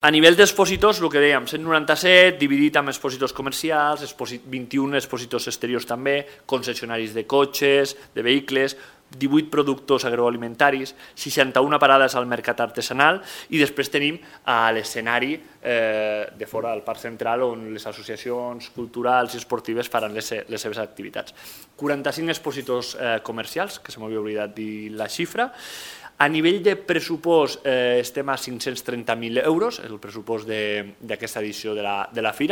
A nivell d'expositors, el que dèiem, 197, dividit amb expositors comercials, 21 expositors exteriors també, concessionaris de cotxes, de vehicles, 18 productors agroalimentaris, 61 parades al mercat artesanal i després tenim l'escenari de fora del Parc Central on les associacions culturals i esportives faran les seves activitats. 45 expositors comercials, que se m'havia oblidat dir la xifra. A nivell de pressupost estem a 530.000 euros, el pressupost d'aquesta edició de la Fira.